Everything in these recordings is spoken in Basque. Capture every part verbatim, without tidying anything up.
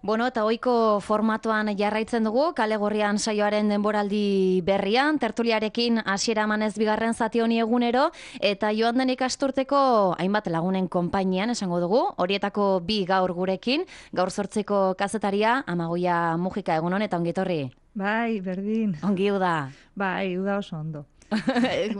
Bueno, eta ohiko formatuan jarraitzen dugu, Kale Gorrian saioaren denboraldi berrian, tertuliarekin hasiera emanez bigarren zati honi egunero, eta joan den ikasturteko hainbat lagunen konpainian esango dugu, horietako bi gaur gurekin, gaur zortziko kazetaria, Amagoia Mujika, egunon eta ongitorri. Bai, berdin. Ongi uda. Bai, uda oso ondo.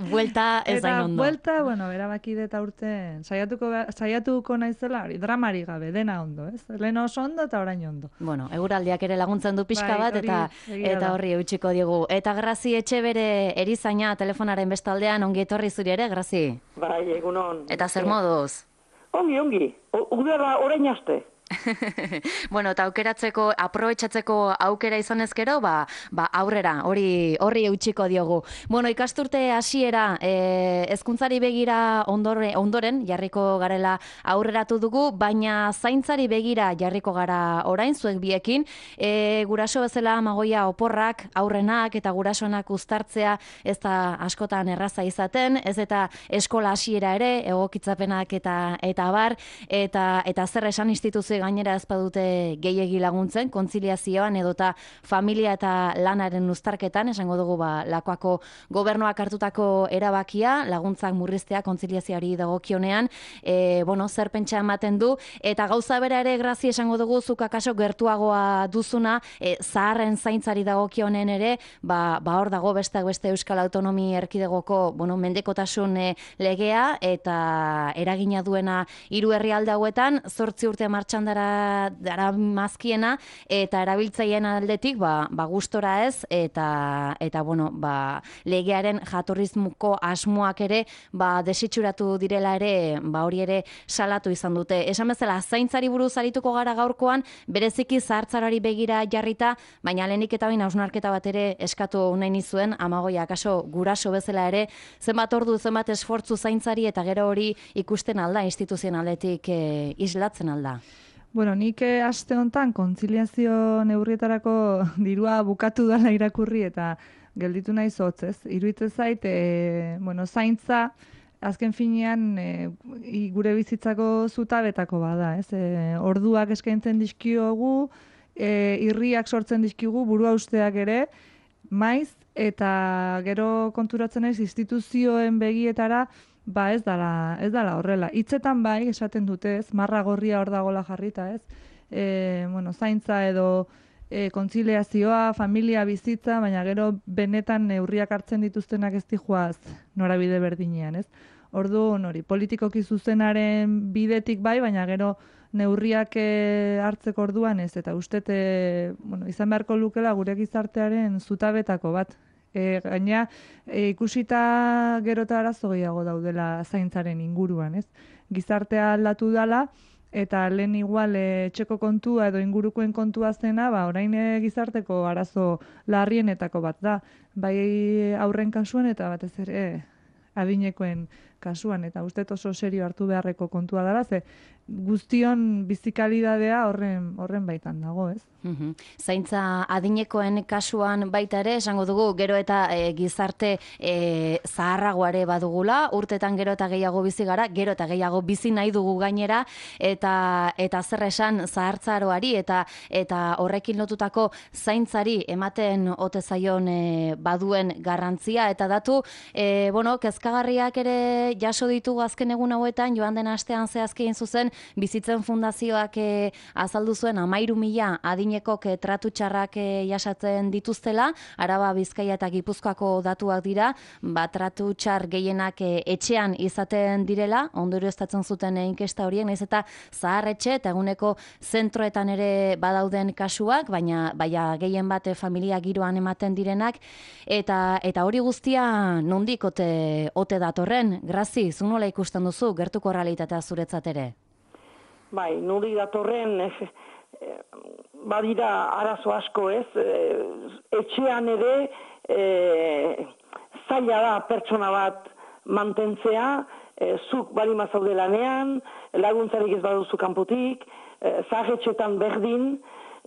Buelta ez zain ondo. Eta buelta, bueno, erabaki dut aurten, saiatuko, saiatuko naizela, hori, dramari gabe, dena ondo, ez? Lehen oso ondo eta orain ondo. Bueno, eguraldiak ere laguntzen du pixka Bai, bat, hori, eta egia eta da. horri eutxiko digu. Eta Grazi Etxebere erizaina telefonaren bestaldean, ongi etorri zuri ere, Grazi? Bai, egunon. Eta zer moduz? Ongi, ongi. O- Udara orain aste. Bueno, eta aukeratzeko, aprobetxatzeko aukera izan ezkero, ba, ba aurrera, hori horri eutxiko diogu. Bueno, ikasturte hasiera e, hezkuntzari begira ondore, ondoren jarriko garela aurreratu dugu, baina zaintzari begira jarriko gara orain, zuek biekin. E, guraso bezala Amagoia oporrak, aurrenak eta gurasonak uztartzea ez da askotan erraza izaten, ez eta eskola hasiera ere, egokitzapenak eta eta bar, eta, eta zer esan instituzio gainera ez badute gehiegi laguntzen, kontziliazioan edota familia eta lanaren uztarketan, esango dugu ba, Lakuako gobernuak hartutako erabakia, laguntzak murriztea kontziliazioari dagokionean, e, bueno, zer pentsa ematen du, eta gauza bera ere Grazi esango dugu, zuk akaso gertuagoa duzuna, e, zaharren zaintzari dagokionen ere, ba, ba hor dago besteak beste Euskal Autonomi Erkidegoko, bueno, mendekotasun e, legea, eta eragina duena hiru herrialde hauetan, zortzi urte martxan dara, dara mazkiena, eta erabiltzaileen aldetik, ba, ba gustora ez, eta, eta bueno, ba, legearen jatorrizmuko asmoak ere, ba, desitxuratu direla ere, ba, hori ere salatu izan dute. Esan bezala, zaintzari buruz arituko gara gaurkoan, bereziki zahartzarari begira jarrita, baina lehenik eta bain hausnarketa bat ere eskatu nahi nizuen, Amagoia, akaso guraso bezala ere, zenbat ordu, zenbat esfortzu zaintzari, eta gero hori ikusten alda, instituzionaletik e, islatzen alda. Bueno, nik eh, aste honetan kontziliazio neurrietarako dirua bukatu dela irakurri eta gelditu nahi zotz, ez? Iruditzen zait, e, bueno, zaintza azken finean e, i- gure bizitzako zutabetako bada, ez? E, orduak eskaintzen dizkiogu, e, irriak sortzen dizkigu, burua usteak ere, maiz, eta gero konturatzen naiz instituzioen begietara, ba ez dala, ez dala horrela. Hitzetan bai, esaten dute, ez, marra gorria hor dagola jarrita, ez. E, bueno, zaintza edo e, kontziliazioa, familia bizitza, baina gero benetan neurriak hartzen dituztenak ez dijoaz norabide berdinean, ez. Orduan hori, politikoki zuzenaren bidetik bai, baina gero neurriak e, hartzeko orduan ez, eta ustet, e, bueno, izan beharko lukela gure gizartearen zutabetako bat. E, gaina, e, ikusita gero eta arazo gehiago daudela zaintzaren inguruan, ez? Gizartea aldatu dala, eta lehen igual e, etxeko kontua edo ingurukoen kontua zena, ba, orain e, gizarteko arazo larrienetako bat da. Bai aurren kasuan eta batez ere adinekoen kasuan, eta uste oso serio hartu beharreko kontua dela, ze guztion bizikalidadea horren, horren baitan dago, ez? Mhm. Zaintza adinekoen kasuan baita ere, esango dugu, gero eta e, gizarte e, zaharragoare badugula, urtetan gero eta gehiago bizi gara, gero eta gehiago bizi nahi dugu gainera, eta eta zer esan zahartzaroari, eta eta horrekin lotutako zaintzari ematen ote zaion e, baduen garrantzia, eta datu, e, bueno, kezkagarriak ere jaso ditugu azken egun hauetan, joan den astean zehazki egin zuzen, Bizitzen Fundazioak e, azaldu zuen amairu mila adinekok e, tratu txarrak e, jasatzen dituztela, Araba, Bizkaia eta Gipuzkoako datuak dira, ba, tratu txar gehienak e, etxean izaten direla, ondorioztatzen zuten e, inkesta horiek, nahiz eta zahar etxe eta eguneko zentroetan ere badauden kasuak, baina baina gehien bat e, familia giroan ematen direnak, eta eta hori guztia nondik ote, ote datorren, Grazi, zu nola ikusten duzu, gertuko realitatea zuretzat ere? Bai, nuri datorren eh, eh, badira arazo asko ez, eh, etxean ere eh, zaila da pertsona bat mantentzea, eh, zuk balima zaude lanean, laguntzarik ez baduzu kanpotik, eh, zahetxetan berdin,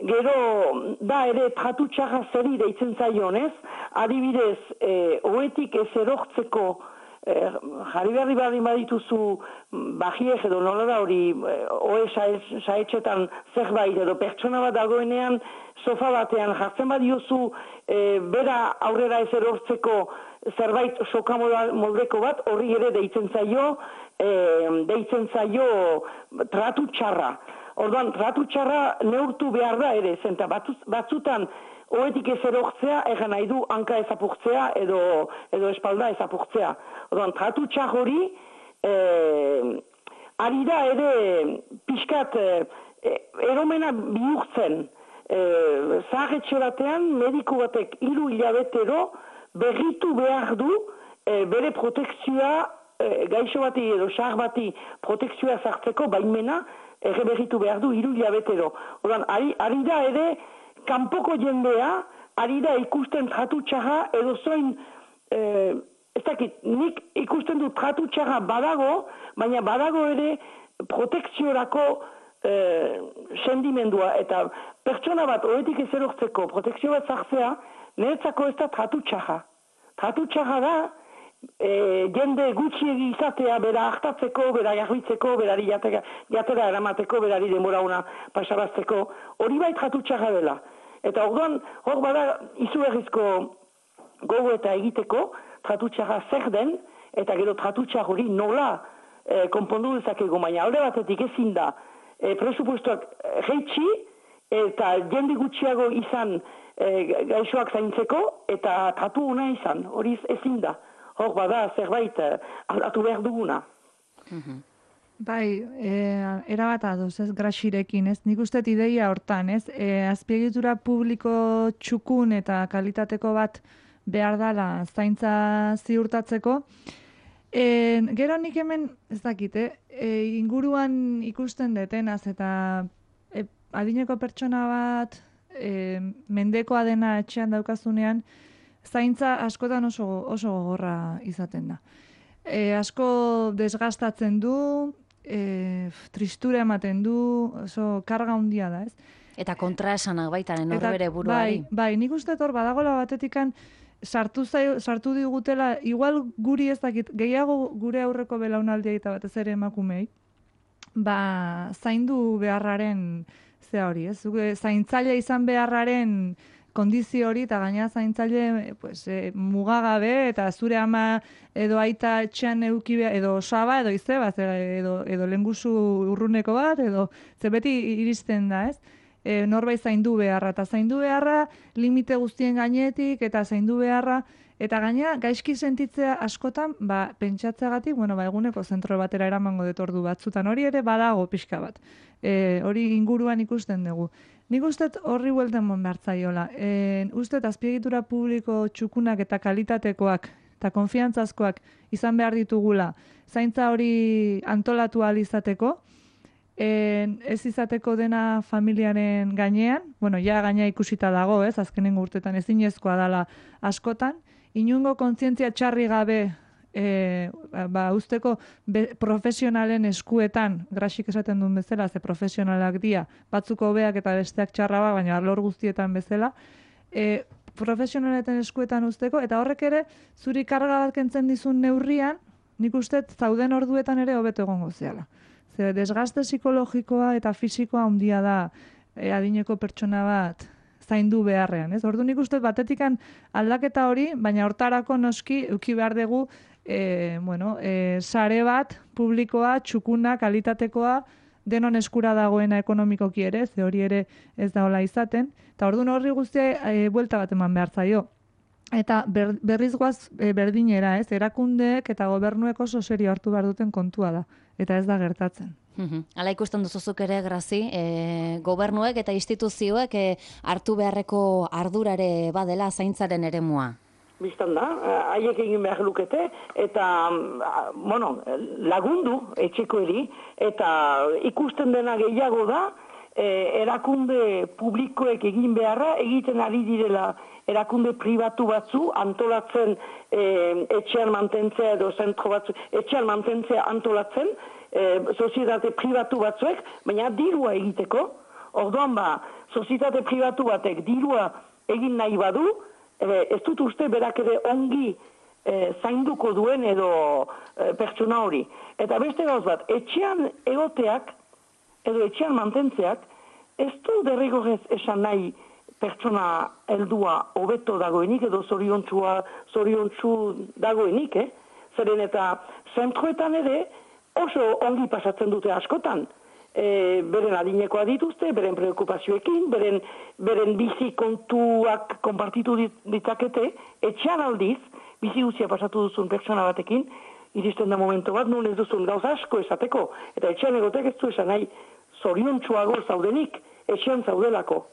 gero da ere tratu txarra zeri deitzen zaion ez, adibidez, eh, oetik ez erortzeko eh, jarri berri badin badituzu bajiek edo nola da hori oe saetxetan zerbait edo pertsona bat dagoenean sofa batean jartzen badiozu eh, bera aurrera ez erortzeko zerbait soka moldeko bat, horri ere deitzen zaio, eh, deitzen zaio tratu txarra. Orduan, tratu txarra neurtu behar da ere, zenta batzutan oetik ez erortzea, egan nahi du hanka ezapurtzea edo, edo espalda ezapurtzea. Orduan, tratu txar hori, eh, ari da ere pixkat eh, eromena bihurtzen. Eh, Zaharretxe batean, mediku batek hiru hilabetero berritu behar du eh, bere protekzioa, eh, gaixo bati edo xar bati protekzioa zartzeko baimena, ere berritu behar du hiru hilabetero. Orduan, ari, ari da ere kanpoko jendea, ari da ikusten tratu txarra edo zoin, eh, ez dakit, nik ikusten du tratu txarra badago, baina badago ere protekziorako eh, sendimendua. Eta pertsona bat oetik ez erortzeko protekzio bat zartzea, niretzako ez da tratu txarra. Tratu txarra da, E, jende gutxiegi izatea, bera hartatzeko, bera garbitzeko, berari jatera, jatera eramateko, berari denbora una pasarazteko, hori bai tratu txarra dela. Eta orduan, hor bada izugarrizko gogo eta egiteko, tratu txarra zer den, eta gero tratu txar hori nola e, konpondu dezakego, baina alde batetik ezin da, e, presupuestoak jeitsi, eta jende gutxiago izan e, gaixoak zaintzeko, eta tratu ona izan, hori ezin da. Hor bada zerbait aldatu behar duguna. Bai, e, erabat adoz, ez, Graxirekin, ez? Nik uste ideia hortan, ez? E, azpiegitura publiko txukun eta kalitateko bat behar dala zaintza ziurtatzeko. E, gero nik hemen, ez dakit, eh? E, inguruan ikusten detenaz eta e, adineko pertsona bat e, mendekoa dena etxean daukazunean, zaintza askotan oso, oso gogorra izaten da. E, asko desgastatzen du, e, tristura ematen du, oso karga handia da, ez? Eta kontraesanak baita, norbere buruari. Bai, bai, nik uste hor badagola batetikan sartu, zai, sartu digutela, igual guri ez dakit, gehiago gure aurreko belaunaldia eta batez ere emakumei, ba, zaindu beharraren zea hori, ez? Zaintzaile izan beharraren kondizio hori, eta gaina zaintzaile pues, e, mugagabe, eta zure ama edo aita etxean euki behar, edo osaba, edo izeba, edo, edo lengusu urruneko bat, edo ze beti iristen da, ez? E, norbait zaindu beharra, eta zaindu beharra limite guztien gainetik, eta zaindu beharra, eta gaina gaizki sentitzea askotan, ba, pentsatzeagatik, bueno, ba, eguneko zentro batera eramango detordu batzutan, hori ere badago pixka bat. E, hori inguruan ikusten dugu. Nik ustet horri buelten mon behartzaiola. E, ustet azpiegitura publiko txukunak eta kalitatekoak eta konfiantzazkoak izan behar ditugula zaintza hori antolatu ahal izateko, e, ez izateko dena familiaren gainean, bueno, ja gaina ikusita dago, ez, azkenengo urtetan ezinezkoa dela askotan, inungo kontzientzia txarri gabe E, ba, usteko be, profesionalen eskuetan, Graxik esaten duen bezala, ze profesionalak dia, batzuk hobeak eta besteak txarraba, baina alor guztietan bezala, e, profesionaletan eskuetan usteko, eta horrek ere, zuri karga bat kentzen dizun neurrian, nik uste zauden orduetan ere hobeto egongo zeala. Ze desgaste psikologikoa eta fisikoa handia da e, adineko pertsona bat zaindu beharrean, ez? Ordu nik uste batetikan aldaketa hori, baina hortarako noski euki behar dugu E, bueno, e, sare bat, publikoa, txukuna, kalitatekoa, denon eskura dagoena ekonomikoki ere, ze hori ere ez da hola izaten, eta orduan horri guztia e, buelta bat eman behar zaio. Eta ber, berriz guaz e, berdinera, ez, erakundeek eta gobernuek oso serio hartu behar duten kontua da, eta ez da gertatzen. Hala ikusten duzuzuk ere, Grazi, e, gobernuek eta instituzioek e, hartu beharreko ardurare badela zaintzaren eremua. Bistan da, haiek egin behar lukete, eta, bueno, lagundu etxeko eri, eta ikusten dena gehiago da, eh, erakunde publikoek egin beharra, egiten ari direla erakunde pribatu batzu, antolatzen eh, etxean mantentzea edo zentro batzu, etxean mantentzea antolatzen, eh, sozietate pribatu batzuek, baina dirua egiteko, orduan ba, sozietate pribatu batek dirua egin nahi badu, ez dut uste berak ere ongi e, zainduko duen edo e, pertsona hori. Eta beste gauz bat, etxean egoteak edo etxean mantentzeak ez du derrigorrez esan nahi pertsona heldua hobeto dagoenik edo zoriontsua zoriontsu dagoenik, eh? Zeren eta zentroetan ere oso ongi pasatzen dute askotan. E, beren adinekoa dituzte, beren preokupazioekin, beren, beren bizi kontuak konpartitu ditzakete, etxean aldiz, bizi guztia pasatu duzun pertsona batekin, iristen da momento bat, nun ez duzun gauza asko esateko, eta etxean egotek ez du esan nahi zoriontsuago zaudenik, etxean zaudelako.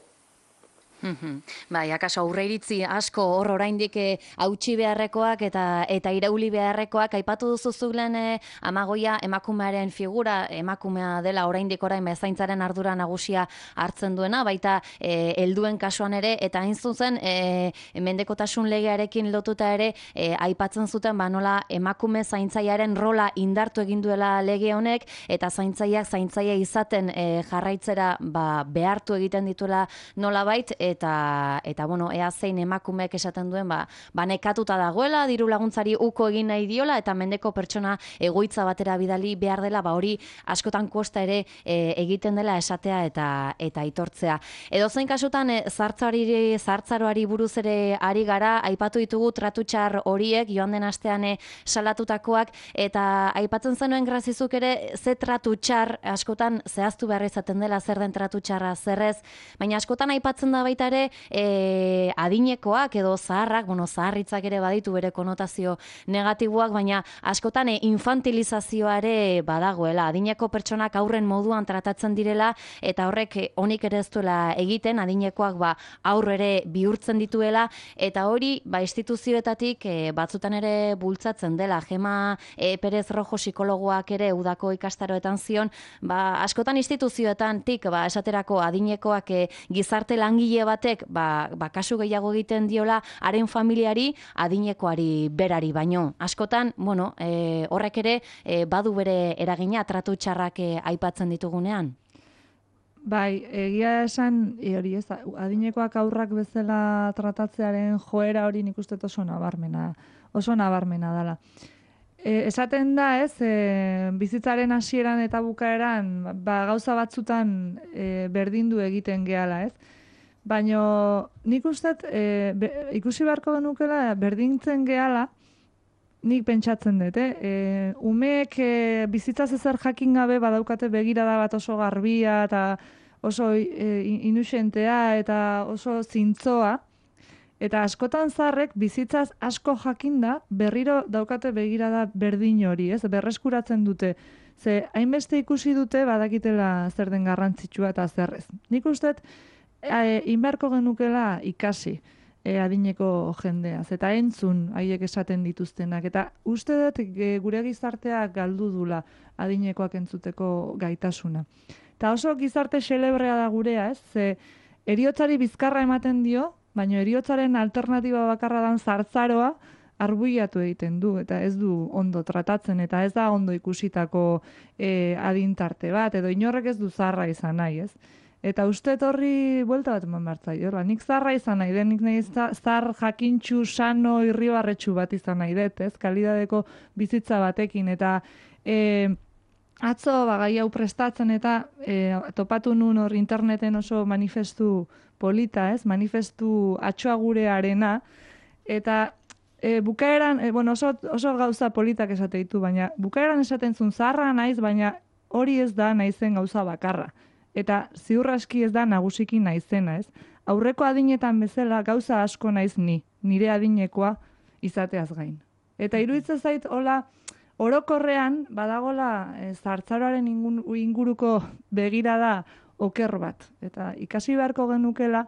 Bai, akaso aurre iritzi asko hor oraindik hautsi beharrekoak eta eta irauli beharrekoak aipatu duzu zulen eh, Amagoia emakumearen figura, emakumea dela oraindik orain bezaintzaren ardura nagusia hartzen duena, baita eh, helduen kasuan ere, eta hain zuzen eh, mendekotasun legearekin lotuta ere eh, aipatzen zuten ba nola emakume zaintzailearen rola indartu egin duela lege honek, eta zaintzaileak zaintzaile izaten eh, jarraitzera ba, behartu egiten dituela nolabait, eta eta bueno, ea zein emakumeek esaten duen ba, ba nekatuta dagoela, diru laguntzari uko egin nahi diola eta mendeko pertsona egoitza batera bidali behar dela, ba hori askotan kosta ere e, egiten dela esatea eta eta aitortzea. Edo zein kasutan e, zartzari zartzaroari buruz ere ari gara, aipatu ditugu tratutxar horiek joan den astean e, salatutakoak, eta aipatzen zenuen Grazizuk ere ze tratutxar askotan zehaztu behar izaten dela zer den tratutxarra zerrez, baina askotan aipatzen da baita ere e, adinekoak edo zaharrak, bueno, zaharritzak ere baditu bere konotazio negatiboak, baina askotan e, infantilizazioa ere badagoela, adineko pertsonak aurren moduan tratatzen direla, eta horrek e, onik ere ez duela egiten, adinekoak ba, aurrere bihurtzen dituela, eta hori ba, instituzioetatik e, batzutan ere bultzatzen dela. Gema e, Perez Rojo psikologoak ere udako ikastaroetan zion, ba, askotan instituzioetan tik, ba, esaterako adinekoak e, gizarte langile batek ba, ba, kasu gehiago egiten diola haren familiari adinekoari berari baino. Askotan, bueno, e, horrek ere e, badu bere eragina tratu txarrak e, aipatzen ditugunean. Bai, egia esan, e, hori ez, adinekoak aurrak bezala tratatzearen joera hori nik uste oso nabarmena, oso nabarmena dela. E, esaten da, ez, e, bizitzaren hasieran eta bukaeran, ba, gauza batzutan e, berdindu egiten gehala, ez? Baina nik uste e, be, ikusi beharko genukela berdintzen gehala, nik pentsatzen dut, eh? E, umeek e, bizitzaz ezer jakin gabe badaukate begirada bat oso garbia eta oso e, inusentea eta oso zintzoa, eta askotan zarrek bizitzaz asko jakinda berriro daukate begirada berdin hori, ez? Berreskuratzen dute. Ze hainbeste ikusi dute badakitela zer den garrantzitsua eta zerrez. Nik uste E, inberko genukela ikasi e, adineko jendeaz, eta entzun haiek esaten dituztenak, eta uste dut e, gure gizarteak galdu dula adinekoak entzuteko gaitasuna. Eta oso gizarte xelebrea da gurea, ez? Ze heriotzari bizkarra ematen dio, baina heriotzaren alternatiba bakarra dan zartzaroa arbuiatu egiten du, eta ez du ondo tratatzen, eta ez da ondo ikusitako e, adintarte bat, edo inorrek ez du zarra izan nahi, ez? Eta uste horri buelta bat eman behar zaio. Nik zarra izan nahi, nik nahi zar jakintxu, sano, irribarretxu bat izan nahi dut, ez? Kalidadeko bizitza batekin. Eta e, atzo bagai hau prestatzen eta e, topatu nun hor interneten oso manifestu polita, ez? Manifestu atxoa gurearena. Eta e, bukaeran, e, bueno, oso, oso gauza politak esate ditu, baina bukaeran esaten zuen zarra naiz, baina hori ez da naizen gauza bakarra. Eta ziur aski ez da nagusiki naizena, ez? Aurreko adinetan bezala gauza asko naiz ni, nire adinekoa izateaz gain. Eta iruditzen zait hola orokorrean badagola e, zartzaroaren inguruko begirada oker bat. Eta ikasi beharko genukela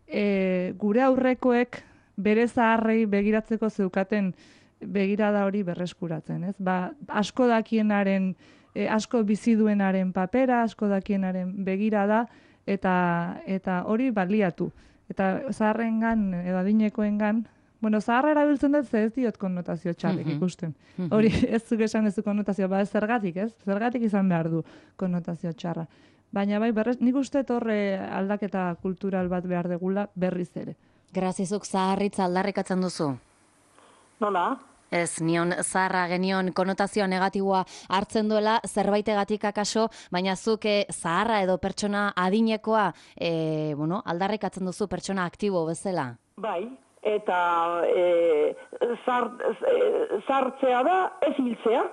e, gure aurrekoek bere zaharrei begiratzeko zeukaten begirada hori berreskuratzen, ez? Ba, asko dakienaren E, asko bizi duenaren papera, asko dakienaren begirada, eta eta hori baliatu. Eta zaharrengan edo adinekoengan, bueno, zaharra erabiltzen dut ze ez diot konnotazio txarrik ikusten. Hori ez zuk esan ez du konnotazio, ba ez zergatik, ez? Zergatik izan behar du konnotazio txarra. Baina bai, berrez, nik uste horre aldaketa kultural bat behar degula berriz ere. Grazizuk zaharritza aldarrikatzen duzu? Nola? Ez, nion zaharra genion konotazioa negatiboa hartzen duela, zerbaitegatik akaso, baina zuk eh, zaharra edo pertsona adinekoa eh, bueno, aldarrikatzen duzu pertsona aktibo bezala. Bai, eta e, zar, e, zartzea da ez hiltzea,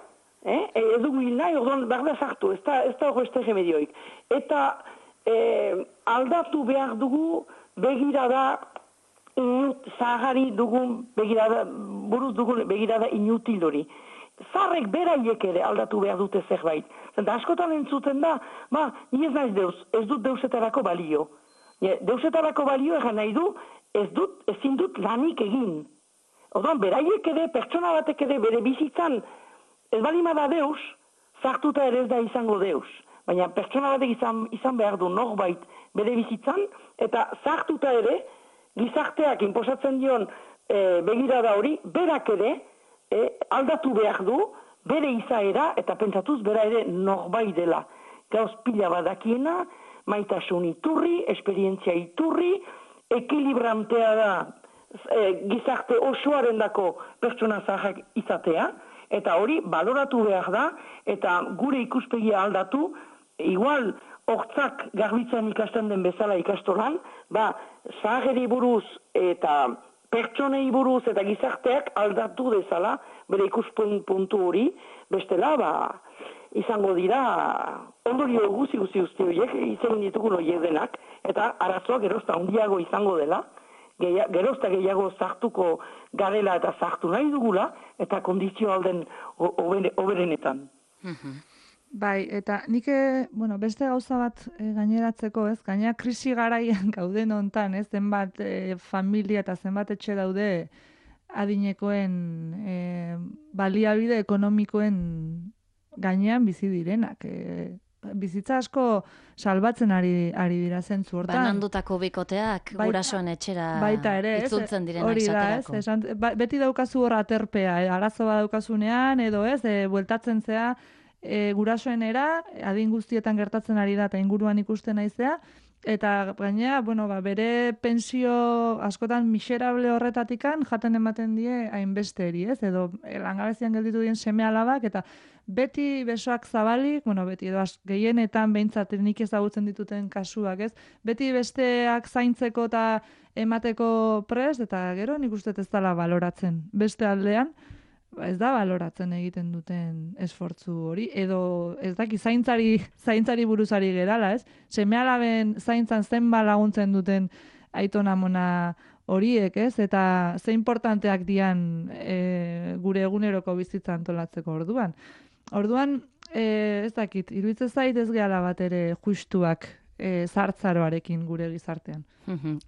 eh? ez dugu hil nahi, orduan behar da sartu, ez da, ez da horrezte remedioik. Eta e, aldatu behar dugu begirada inut, zaharari dugun begirada, buruz dugun begirada inutil hori. Zarrek beraiek ere aldatu behar dute zerbait. Zenta askotan entzuten da, ba, ni ez naiz deus, ez dut deusetarako balio. Deusetarako balio egan nahi du, ez dut, ezin dut lanik egin. Orduan, beraiek ere, pertsona batek ere bere bizitzan, ez balimada deus, zartuta ere ez da izango deus. Baina pertsona batek izan, izan behar du norbait bere bizitzan, eta zartuta ere, gizarteak inposatzen dion e, begirada hori, berak ere e, aldatu behar du, bere izaera, eta pentsatuz bera ere norbait dela. Gauz pila badakiena, maitasun iturri, esperientzia iturri, ekilibrantea da e, gizarte osoaren dako pertsona zaharrak izatea, eta hori baloratu behar da, eta gure ikuspegia aldatu, igual hortzak garbitzan ikasten den bezala ikastolan, ba, zaharri buruz eta pertsonei buruz eta gizarteak aldatu dezala, bere ikuspun puntu hori, bestela, ba, izango dira, ondorio guzi guzi guzti horiek, izan ditugun horiek denak, eta arazoa gerozta handiago izango dela, gerozta gehiago zartuko garela eta zartu nahi dugula, eta kondizio alden oberenetan. Bai, eta nik, bueno, beste gauza bat e, gaineratzeko, ez? Gaina krisi garaian gauden hontan, ez? Zenbat e, familia eta zenbat etxe daude adinekoen e, baliabide ekonomikoen gainean bizi direnak. E, bizitza asko salbatzen ari, ari dira zentzu hortan. Banandutako bikoteak baita, gurasoen etxera baita ere, itzultzen direnak hori da, esaterako. Ez, esan, ba, beti daukazu hor aterpea, e, arazo bat daukasunean, edo ez, e, bueltatzen zea, E, gurasoenera, adin guztietan gertatzen ari da eta inguruan ikusten naizea, eta gainera, bueno, ba, bere pensio askotan miserable horretatikan jaten ematen die hainbesteri, ez? Edo langabezian gelditu dien seme alabak, eta beti besoak zabalik, bueno, beti edo gehienetan behintzat nik ezagutzen dituten kasuak, ez? Beti besteak zaintzeko eta emateko prest, eta gero nik uste ez dela baloratzen. Beste aldean, ez da baloratzen egiten duten esfortzu hori, edo ez daki zaintzari, zaintzari buruzari gerala, ez? Seme-alaben zaintzan zenba laguntzen duten aitona amona horiek, ez? Eta ze importanteak dian e, gure eguneroko bizitza antolatzeko orduan. Orduan, e, ez dakit, iruditzen zait ez gehala bat ere justuak e, zartzaroarekin gure gizartean.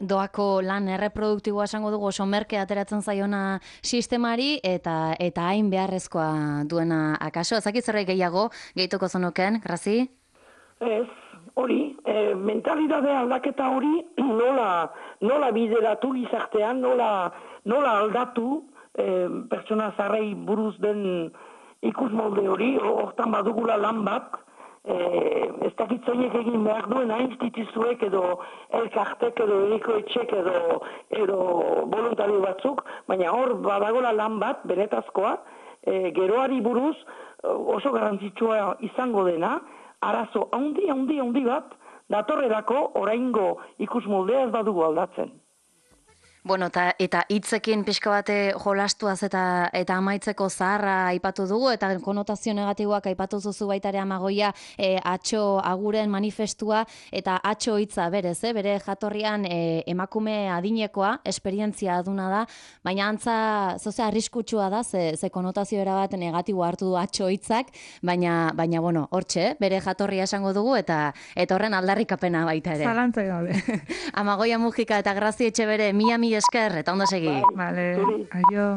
Doako lan erreproduktiboa esango dugu oso merke ateratzen zaiona sistemari eta eta hain beharrezkoa duena akaso. Ezakit zerbait gehiago gehituko zenuken, Grazi? Ez, hori, e, mentalidade aldaketa hori nola, nola bideratu gizartean, nola, nola aldatu e, pertsona zarrei buruz den ikusmolde hori, hortan badugula lan bat, Eh, ez dakitzoiek egin behar duena instituzuek edo elkartek edo eriko etxek edo, edo voluntario batzuk, baina hor badagola lan bat, benetazkoa, eh, geroari buruz oso garrantzitsua izango dena, arazo handi, handi, handi bat, datorrerako oraingo ikusmoldea ez badugu aldatzen. Bueno, ta, eta hitzekin pixka bate jolastuaz eta eta amaitzeko zaharra aipatu dugu, eta konotazio negatiboak aipatu zuzu baita ere Amagoia, e, atxo aguren manifestua, eta atxo hitza berez, eh? Bere jatorrian e, emakume adinekoa, esperientzia aduna da, baina antza zozea arriskutsua da, ze, ze konotazio erabat negatibo hartu du atxo hitzak, baina, baina bueno, hortxe, bere jatorria esango dugu, eta eta horren aldarrikapena baita ere. Zalantzai gabe. Amagoia Mujika eta Grazi Etxebere, mila mila esker, eta ondo segi. Vale, aio.